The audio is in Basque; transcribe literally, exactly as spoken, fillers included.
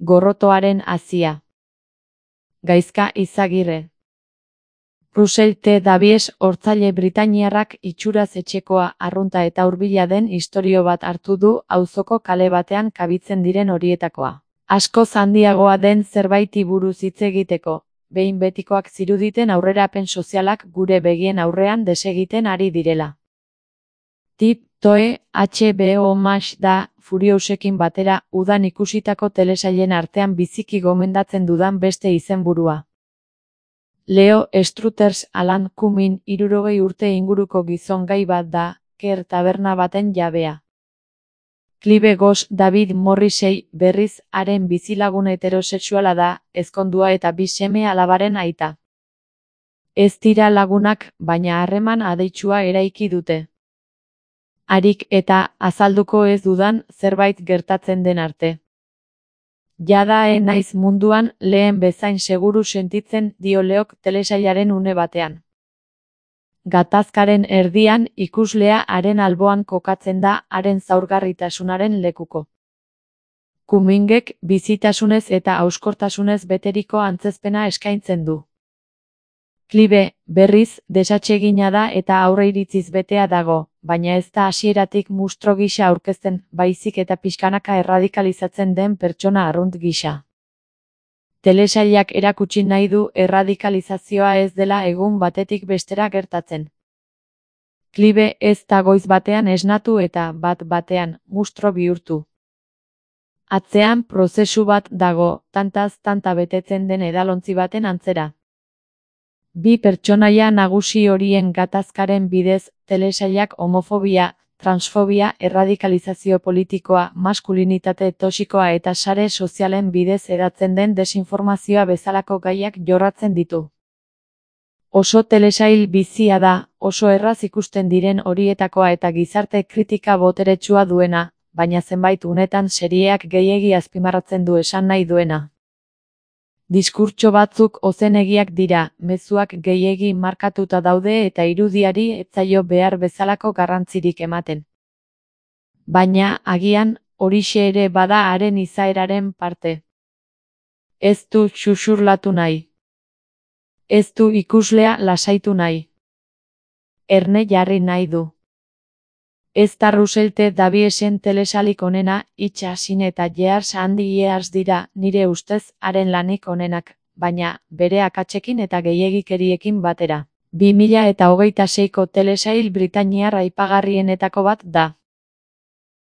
Gorrotoaren hazia. Gaizka Izagirre. Russell T. Davies hortzaile britainiarrak itxuraz etxekoa, arrunta eta hurbila den istorio bat hartu du auzoko kale batean kabitzen diren horietakoa. Askoz handiagoa den zerbaiti buruz hitz egiteko, behin betikoak ziruditen aurrerapen sozialak gure begien aurrean desegiten ari direla. Tip toe H B O Max da, Furiousekin batera, udan ikusitako telesailen artean biziki gomendatzen dudan beste izenburua. Leo Struthers Alan Cumming hirurogei urte inguruko gizon gai bat da, Ker taberna baten jabea. Clive Goss David Morrissey berriz haren bizilagun heterosexuala da, ezkondua eta bi seme alabaren aita. Ez dira lagunak, baina harreman adeitsua eraiki dute. Harik eta azalduko ez dudan zerbait gertatzen den arte. Jada ez naiz munduan lehen bezain seguru sentitzen, dio Leok telesailaren une batean. Gatazkaren erdian ikuslea haren alboan kokatzen da haren zaurgarritasunaren lekuko. Cummingek bizitasunez eta hauskortasunez beteriko antzezpena eskaintzen du. Clive, berriz, desatsegina da eta aurreiritziz betea dago, baina ez da hasieratik mustro gisa aurkezten, baizik eta pixkanaka erradikalizatzen den pertsona arrunt gisa. Telesailak erakutsi nahi du erradikalizazioa ez dela egun batetik bestera gertatzen. Clive ez da goiz batean esnatu eta bat batean mustro bihurtu. Atzean prozesu bat dago, tantaz tanta betetzen den edalontzi baten antzera. Bi pertsonaia nagusi horien gatazkaren bidez, telesailak homofobia, transfobia, erradikalizazio politikoa, maskulinitate toxikoa eta sare sozialen bidez hedatzen den desinformazioa bezalako gaiak jorratzen ditu. Oso telesail bizia da, oso erraz ikusten diren horietakoa eta gizarte kritika boteretsua duena, baina zenbait unetan serieak gehiegi azpimarratzen du esan nahi duena. Diskurtso batzuk ozenegiak dira, mezuak gehiegi markatuta daude eta irudiari ez zaio behar bezalako garrantzirik ematen. Baina, agian, horixe ere bada haren izaeraren parte. Ez du xuxurlatu nahi. Ez du ikuslea lasaitu nahi. Erne jarri nahi du. Ez da Russell T. Daviesen telesalik onena, itxasin eta Years and Years dira, nire ustez, haren lanik onenak, baina, bere akatsekin eta gehiegikeriekin batera. bi mila eta hogeita seiko telesail britainiar aipagarrienetako bat da.